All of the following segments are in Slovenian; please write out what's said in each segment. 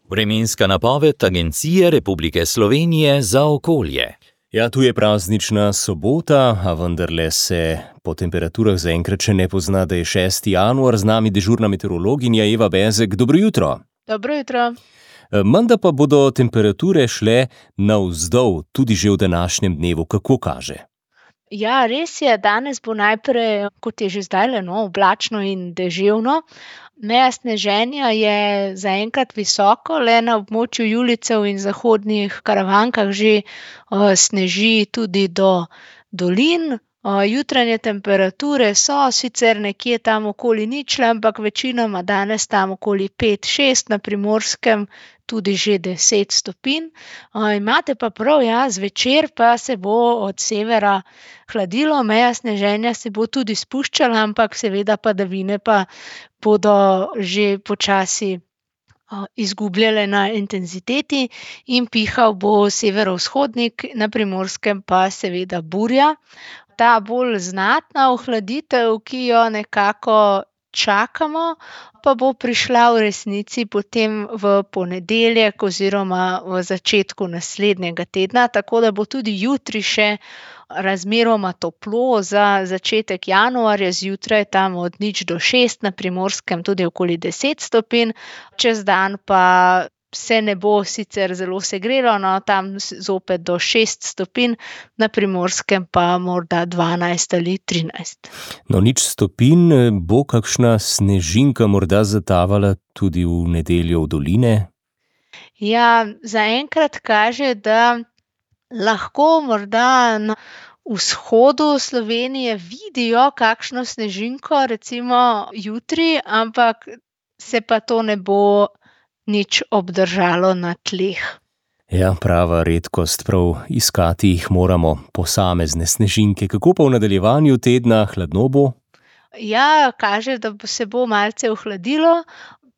Vremenska napoved Agencije Republike Slovenije za okolje. Ja, tu je praznična sobota, a vendarle se po temperaturah zaenkrat še ne pozna, da je 6. januar. Z nami dežurna meteorologinja Eva Bezek. Dobro jutro. Dobro jutro. Menda pa bodo temperature šle navzdol tudi že v današnjem dnevu. Kako kaže? Ja, res je, danes bo najprej, kot je že zdajle, oblačno in deževno. Meja sneženja je zaenkrat visoko, le na območju Julicev in zahodnih Karavankah že sneži tudi do dolin. Jutranje temperature so sicer nekje tam okoli ničle, ampak večinoma danes tam okoli 5-6, na Primorskem tudi že 10 stopinj. Imate pa prav, ja, zvečer pa se bo od severa hladilo, meja sneženja se bo tudi spuščala, ampak seveda padavine pa bodo že počasi izgubljale na intenziteti in pihal bo severovzhodnik, na Primorskem pa seveda burja. Ta bolj znatna ohladitev, ki jo nekako čakamo, pa bo prišla v resnici potem v ponedeljek oziroma v začetku naslednjega tedna, tako da bo tudi jutri še razmeroma toplo za začetek januarja, zjutraj tam od 0 do 6, na Primorskem tudi okoli 10 stopinj, čez dan pa se ne bo sicer zelo segrelo, tam zopet do 6 stopinj, na Primorskem pa morda 12 ali 13. 0 stopinj, bo kakšna snežinka morda zatavala tudi v nedeljo v doline? Ja, zaenkrat kaže, da lahko morda na vzhodu Slovenije vidijo kakšno snežinko, recimo jutri, ampak se pa to ne bo nič obdržalo na tleh. Ja, prava redkost, prav iskati jih moramo posamezne snežinke. Kako pa v nadaljevanju tedna, hladno bo? Ja, kaže, da se bo malce ohladilo.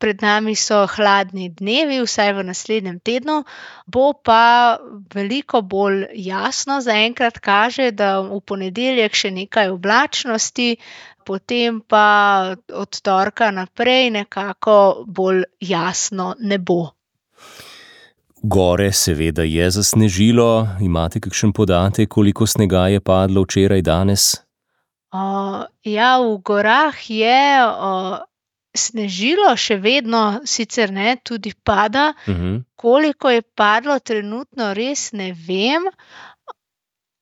Pred nami so hladni dnevi, vsaj v naslednjem tednu, bo pa veliko bolj jasno. Zaenkrat kaže, da v ponedeljek še nekaj oblačnosti, potem pa od torka naprej nekako bolj jasno nebo. Gore seveda je zasnežilo. Imate kakšen podatek, koliko snega je padlo včeraj, danes? Ja, v gorah je snežilo, še vedno sicer ne, tudi pada. Koliko je padlo trenutno, res ne vem.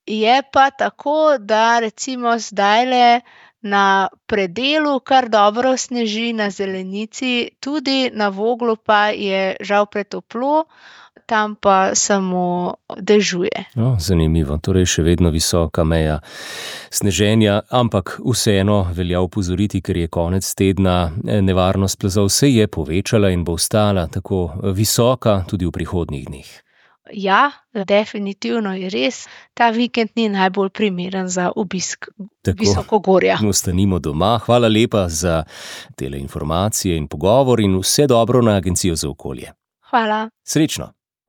Je pa tako, da recimo zdajle na predelu kar dobro sneži, na zelenici, tudi na Voglu pa je žal pretoplo, tam pa samo dežuje. Zanimivo, torej še vedno visoka meja sneženja, ampak vseeno velja opozoriti, ker je konec tedna, nevarnost plazov se je povečala in bo ostala tako visoka tudi v prihodnjih dneh. Ja, definitivno je res. Ta vikend ni najbolj primeren za obisk visokogorja. Ostanimo doma. Hvala lepa za tele informacije in pogovor in vse dobro na Agencijo za okolje. Hvala. Srečno.